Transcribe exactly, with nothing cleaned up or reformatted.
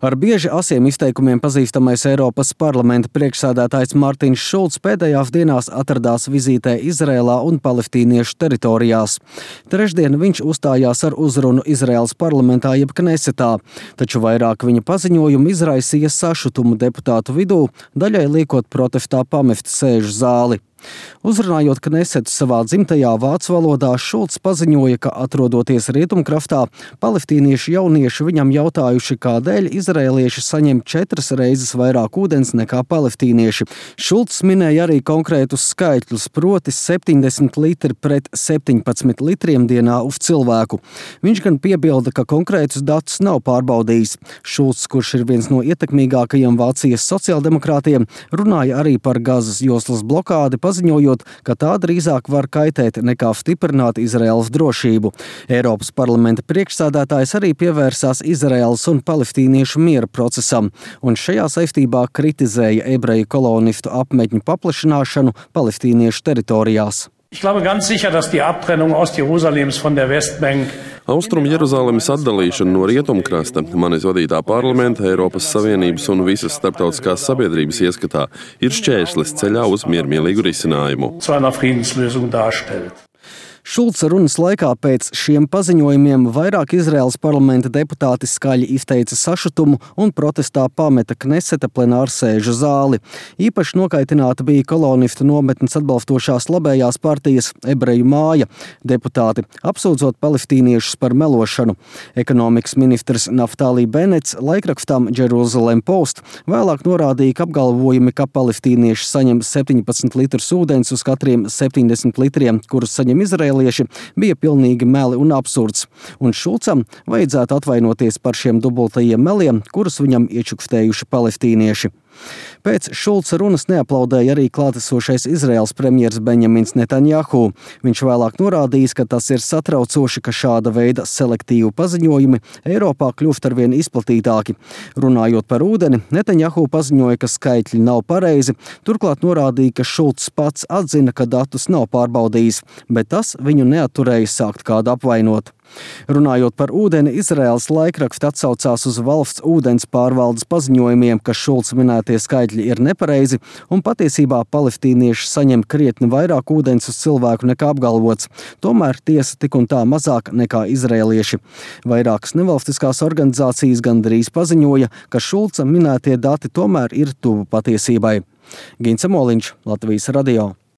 Ar bieži asiem izteikumiem pazīstamais Eiropas parlamenta priekšsēdētājs Martins Šulcs pēdējās dienās atradās vizītē Izrēlā un palestīniešu teritorijās. Trešdien viņš uzstājās ar uzrunu Izraēlas parlamentā jeb Knesetā, taču vairāk viņa paziņojumu izraisīja sašutumu deputātu vidū, daļai liekot protestā pamest sēžu zāli. Uzrunājot Knesetu savā dzimtajā vācu valodā, Šulcs paziņoja, ka atrodoties Rietumkraftā, palestīniešu jaunieši viņam jautājuši, kādēļ izraēlieši saņem četras reizes vairāk ūdens nekā palestīnieši. Šulcs minēja arī konkrētus skaitļus, proti septiņdesmit litri pret septiņpadsmit litriem dienā uz cilvēku. Viņš gan piebilda, ka konkrētus datus nav pārbaudījis. Šulcs, kurš ir viens no ietekmīgākajiem Vācijas sociāldemokrātiem, runāja arī par Gazas joslas blokādi, paziņojot, ka tā drīzāk var kaitēt nekā stiprināt Izraēlas drošību. Eiropas parlamenta priekšsēdētājs arī pievērsās Izraēlas un palestīniešu miera procesam, un šajā saistībā kritizēja ebreju kolonistu apmetņu paplašināšanu palestīniešu teritorijās. Ich glaube ganz sicher, dass die Abtrennung Ostjerusalems von der Westbank Austrumu Jeruzalemes atdalīšana no Rietumkrasta, manis vadītā parlamenta, Eiropas Savienības un visas starptautiskās sabiedrības ieskatā ir šķērslis ceļā uz miermīlīgu risinājumu. zu einer Friedenslösung darstellt. Šulca runas laikā pēc šiem paziņojumiem vairāk Izraēlas parlamenta deputāti skaļi izteica sašutumu un protestā pameta Kneseta plenārsēžu zāli. Īpaši nokaitināta bija kolonistu nometnes atbalstošās labējās partijas Ebreju māja deputāti, apsūdzot palestīniešus par melošanu. Ekonomikas ministrs Naftali Benets laikrakstam Jerusalem Post vēlāk norādīja, ka apgalvojumi, ka palestīnieši saņem septiņpadsmit litrus ūdens uz katriem septiņdesmit litriem, kurus saņem Izraēlieši, bija pilnīgi meli un absurds, un Šulcam vajadzētu atvainoties par šiem dubultajiem meliem, kurus viņam iečukstējuši palestīnieši. Pēc Šulca runas neaplaudēja arī klātesošais Izraēlas premjers Benjamins Netanjahu. Viņš vēlāk norādījis, ka tas ir satraucoši, ka šāda veida selektīvu paziņojumi Eiropā kļūst arvien izplatītāki. Runājot par ūdeni, Netanjahu paziņoja, ka skaitļi nav pareizi, turklāt norādīja, ka Šulcs pats atzina, ka datus nav pārbaudījis, bet tas viņu neatturēja sākt kādu apvainot. Runājot par ūdeni, Izraēlas laikraksts atsaucās uz valsts ūdens pārvaldes paziņojumiem, ka Šulca minētie skaitļi ir nepareizi un patiesībā palestīnieši saņem krietni vairāk ūdens uz cilvēku nekā apgalvots. Tomēr tiesa tik un tā mazāk nekā izraēlieši. Vairākas nevalstiskās organizācijas gandrīz paziņoja, ka Šulca minētie dati tomēr ir tuvu patiesībai. Gints Moliņš, Latvijas radio.